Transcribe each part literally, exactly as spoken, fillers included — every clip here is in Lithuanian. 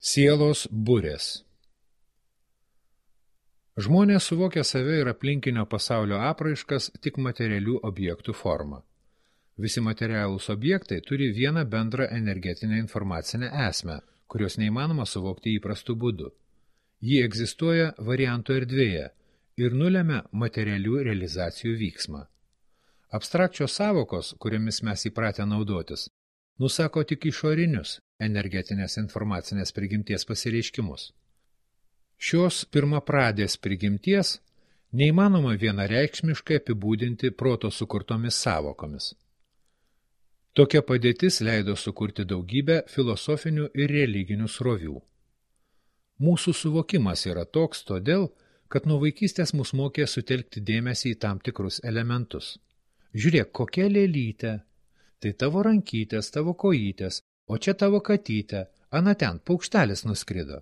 Sielos burės. Žmonės suvokia save ir aplinkinio pasaulio apraiškas tik materialių objektų formą. Visi materialūs objektai turi vieną bendrą energetinę informacinę esmę, kurios neįmanoma suvokti įprastų būdų. Ji egzistuoja variantų erdvėje ir nulemia materialių realizacijų vyksmą. Abstrakčios sąvokos, kuriomis mes įpratę naudotis, nusako tik išorinius energetinės informacinės prigimties pasireiškimus. Šios pirmapradės prigimties neįmanoma vienareikšmiškai apibūdinti proto sukurtomis sąvokomis. Tokia padėtis leido sukurti daugybę filosofinių ir religinių srovių. Mūsų suvokimas yra toks todėl, kad nuo vaikystės mus mokė sutelkti dėmesį į tam tikrus elementus. Žiūrėk, kokia lėlytė, tai tavo rankytės, tavo kojytės, o čia tavo katytė, ana ten, paukštelis nuskrido.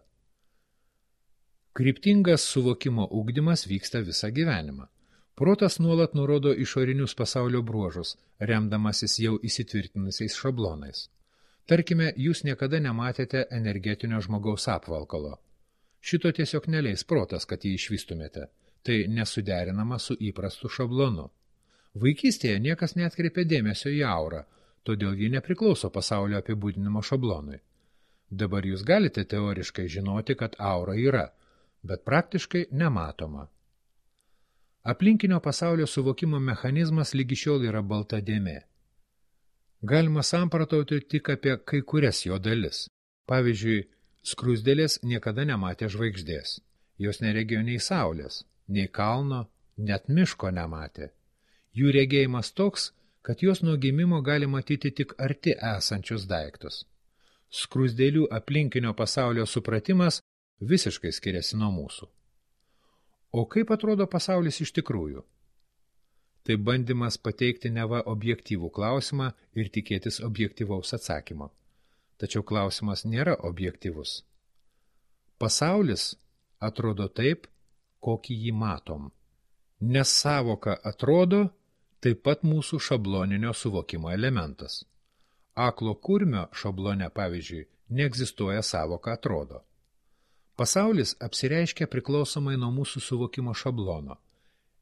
Kryptingas suvokimo ugdymas vyksta visą gyvenimą. Protas nuolat nurodo išorinius pasaulio bruožus, remdamasis jau įsitvirtinusiais šablonais. Tarkime, jūs niekada nematėte energetinio žmogaus apvalkalo. Šito tiesiog neleis protas, kad jį išvystumėte. Tai nesuderinama su įprastu šablonu. Vaikystėje niekas neatkreipė dėmesio į aurą, todėl ji nepriklauso pasaulio apibūdinimo šablonui. Dabar jūs galite teoriškai žinoti, kad aura yra, bet praktiškai nematoma. Aplinkinio pasaulio suvokimo mechanizmas lygi šiol yra balta dėmė. Galima samprotauti tik apie kai kurias jo dalis. Pavyzdžiui, skruzdėlės niekada nematė žvaigždės. Jos neregėjo nei saulės, nei kalno, net miško nematė. Jų regėjimas toks, kad jos nuo gimimo gali matyti tik arti esančius daiktus. Skruzdėlių aplinkinio pasaulio supratimas visiškai skiriasi nuo mūsų. O kaip atrodo pasaulis iš tikrųjų? Tai bandymas pateikti neva objektyvų klausimą ir tikėtis objektyvaus atsakymo. Tačiau klausimas nėra objektyvus. Pasaulis atrodo taip, kokį jį matom. Nes sąvoka atrodo taip pat mūsų šabloninio suvokimo elementas. Aklo kurmio šablone, pavyzdžiui, neegzistuoja sąvoka atrodo. Pasaulis apsireiškia priklausomai nuo mūsų suvokimo šablono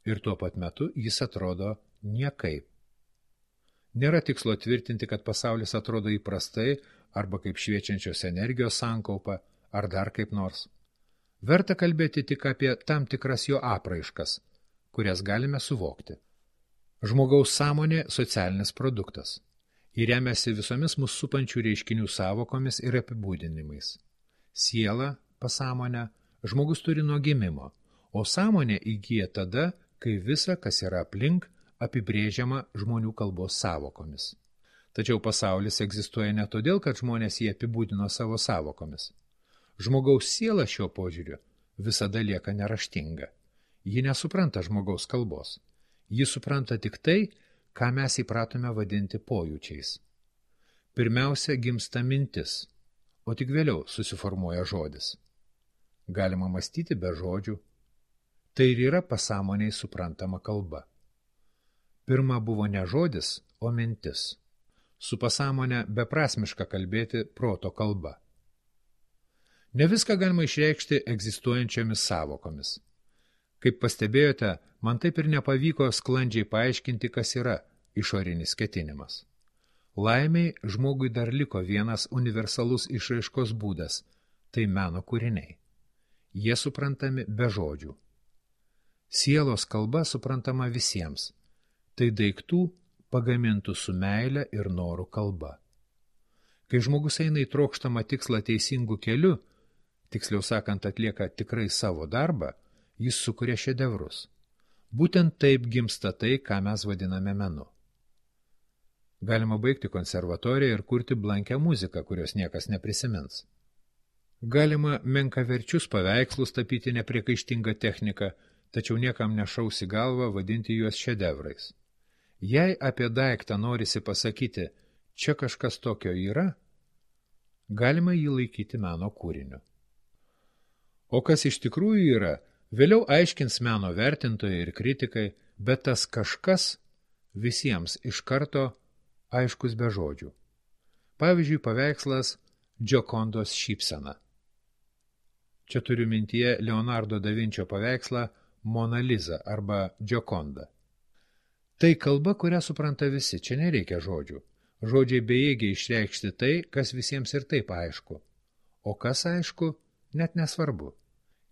ir tuo pat metu jis atrodo niekaip. Nėra tikslo tvirtinti, kad pasaulis atrodo įprastai arba kaip šviečiančios energijos sankaupa ar dar kaip nors. Verta kalbėti tik apie tam tikras jo apraiškas, kurias galime suvokti. Žmogaus sąmonė socialinis produktas. Ji remiasi visomis mus supančių reiškinių sąvokomis ir apibūdinimais. Siela, pasąmonę, žmogus turi nuo gimimo, o sąmonė įgyja tada, kai visa, kas yra aplink, apibrėžiama žmonių kalbos sąvokomis. Tačiau pasaulis egzistuoja ne todėl, kad žmonės jį apibūdino savo sąvokomis. Žmogaus siela šiuo požiūriu visada lieka neraštinga. Ji nesupranta žmogaus kalbos. Ji supranta tik tai, ką mes įpratome vadinti pojūčiais. Pirmiausia gimsta mintis, o tik vėliau susiformuoja žodis. Galima mąstyti be žodžių. Tai ir yra pasąmoniai suprantama kalba. Pirma buvo ne žodis, o mintis. Su pasąmonė beprasmiška kalbėti proto kalba. Ne viską galima išreikšti egzistuojančiomis sąvokomis. Kaip pastebėjote, man taip ir nepavyko sklandžiai paaiškinti, kas yra išorinis ketinimas. Laimiai žmogui dar liko vienas universalus išraiškos būdas – tai meno kūriniai. Jie suprantami be žodžių. Sielos kalba suprantama visiems. Tai daiktų pagamintų su meile ir noru kalba. Kai žmogus eina į trokštamą tikslą teisingų keliu, tiksliau sakant atlieka tikrai savo darbą, jis sukuria šedevrus. Būtent taip gimsta tai, ką mes vadiname menu. Galima baigti konservatoriją ir kurti blankę muziką, kurios niekas neprisimins. Galima menkaverčius paveikslus tapyti nepriekaištingą techniką, tačiau niekam nešaus į galvą vadinti juos šedevrais. Jei apie daiktą norisi pasakyti, čia kažkas tokio yra, galima jį laikyti meno kūriniu. O kas iš tikrųjų yra, vėliau aiškins meno vertintojai ir kritikai, bet tas kažkas visiems iš karto aiškus be žodžių. Pavyzdžiui, paveikslas Džokondos šypsena. Čia turiu mintyje Leonardo da Vinčio paveikslą Mona Lisa arba Gioconda. Tai kalba, kurią supranta visi, čia nereikia žodžių. Žodžiai bejėgiai išreikšti tai, kas visiems ir taip aišku. O kas aišku, net nesvarbu.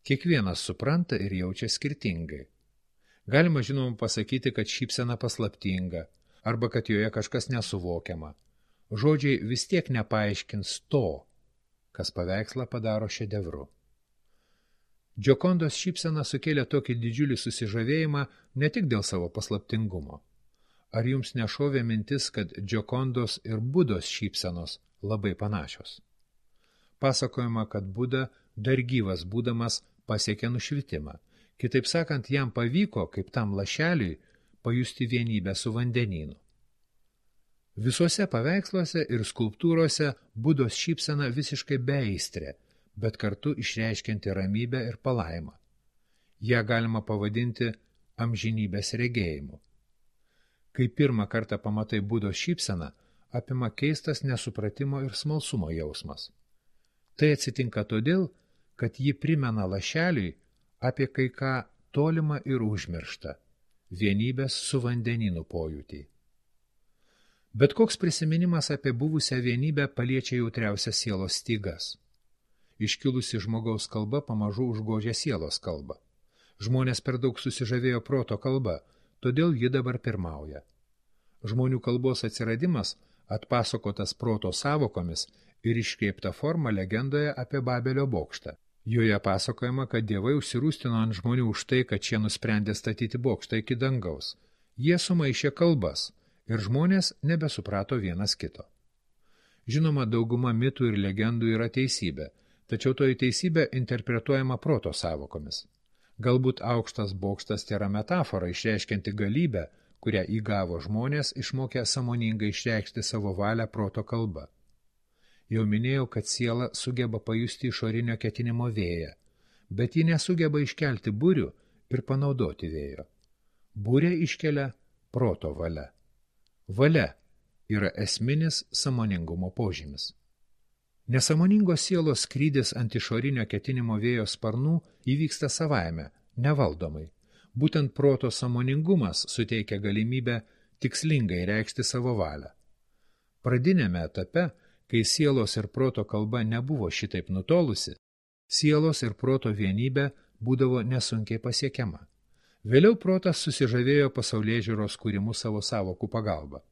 Kiekvienas supranta ir jaučia skirtingai. Galima žinoma pasakyti, kad šypsena paslaptinga, arba kad joje kažkas nesuvokiama. Žodžiai vis tiek nepaaiškins to, kas paveikslą padaro šedevru. Giocondos šypsena sukėlė tokį didžiulį susižavėjimą ne tik dėl savo paslaptingumo. Ar jums nešovė mintis, kad Giocondos ir Budos šypsenos labai panašios? Pasakojama, kad Buda dar gyvas būdamas pasiekė nušvitimą. Kitaip sakant, jam pavyko, kaip tam lašeliui, pajusti vienybę su vandenynu. Visuose paveiksluose ir skulptūrose Budos šypsena visiškai beaistrė, bet kartu išreiškianti ramybę ir palaimą. Ją galima pavadinti amžinybės regėjimu. Kai pirmą kartą pamatai Budos šypseną, apima keistas nesupratimo ir smalsumo jausmas. Tai atsitinka todėl, kad ji primena lašeliui apie kai ką tolimą ir užmirštą, vienybės su vandenynu pojūtį. Bet koks prisiminimas apie buvusią vienybę paliečia jautriausias sielos stygas. Iškilusi žmogaus kalba pamažu užgožia sielos kalbą. Žmonės per daug susižavėjo proto kalba, todėl ji dabar pirmauja. Žmonių kalbos atsiradimas atpasakotas proto sąvokomis ir iškreipta forma legendoje apie Babelio bokštą. Joje pasakojama, kad dievai užsirūstino ant žmonių už tai, kad šie nusprendė statyti bokštą iki dangaus. Jie sumaišė kalbas ir žmonės nebesuprato vienas kito. Žinoma, dauguma mitų ir legendų yra teisybė, tačiau toji teisybė interpretuojama proto sąvokomis. Galbūt aukštas bokštas tėra metafora išreiškianti galybę, kurią įgavo žmonės išmokę sąmoningai išreikšti savo valią proto kalba. Jau minėjau, kad siela sugeba pajusti išorinio ketinimo vėją, bet ji nesugeba iškelti burių ir panaudoti vėjo. Burę iškelia proto valia. Valia yra esminis sąmoningumo požymis. Nesąmoningos sielos skrydis ant išorinio ketinimo vėjo sparnų įvyksta savaime, nevaldomai. Būtent proto sąmoningumas suteikia galimybę tikslingai reikšti savo valią. Pradinėme etape, kai sielos ir proto kalba nebuvo šitaip nutolusi, sielos ir proto vienybė būdavo nesunkiai pasiekiama. Vėliau protas susižavėjo pasaulėžiūros kūrimu savo sąvokų pagalba.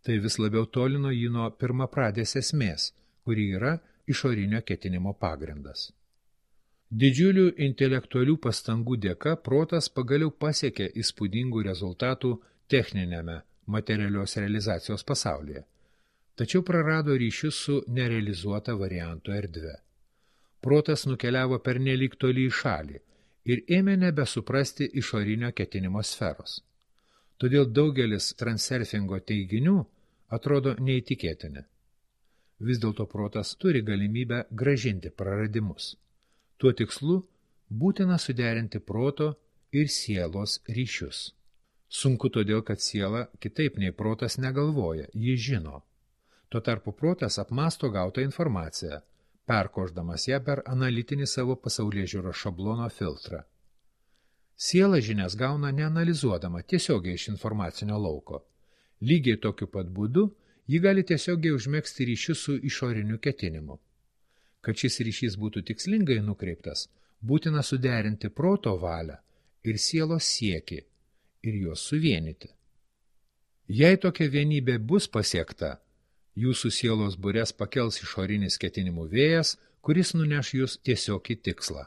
Tai vis labiau tolino jį nuo pirmapradės esmės, kuri yra išorinio ketinimo pagrindas. Didžiulių intelektualių pastangų dėka protas pagaliau pasiekė įspūdingų rezultatų techninėme materialios realizacijos pasaulyje, tačiau prarado ryšius su nerealizuota varianto erdve. Protas nukeliavo pernelyg toli į šalį ir ėmė nebesuprasti išorinio ketinimo sferos. Todėl daugelis transurfingo teiginių atrodo neįtikėtini. Vis dėlto protas turi galimybę gražinti praradimus. Tuo tikslu būtina suderinti proto ir sielos ryšius. Sunku todėl, kad siela kitaip nei protas negalvoja, ji žino. Tuo tarpu protas apmąsto gautą informaciją, perkošdamas ją per analitinį savo pasaulėžiūros šablono filtrą. Siela žinias gauna neanalizuodama tiesiogiai iš informacinio lauko. Lygiai tokiu pat būdu ji gali tiesiogiai užmegzti ryšius su išoriniu ketinimu. Kad šis ryšys būtų tikslingai nukreiptas, būtina suderinti proto valią ir sielos siekį ir juos suvienyti. Jei tokia vienybė bus pasiekta, jūsų sielos bures pakels išorinis ketinimų vėjas, kuris nuneš jūs tiesiog į tikslą.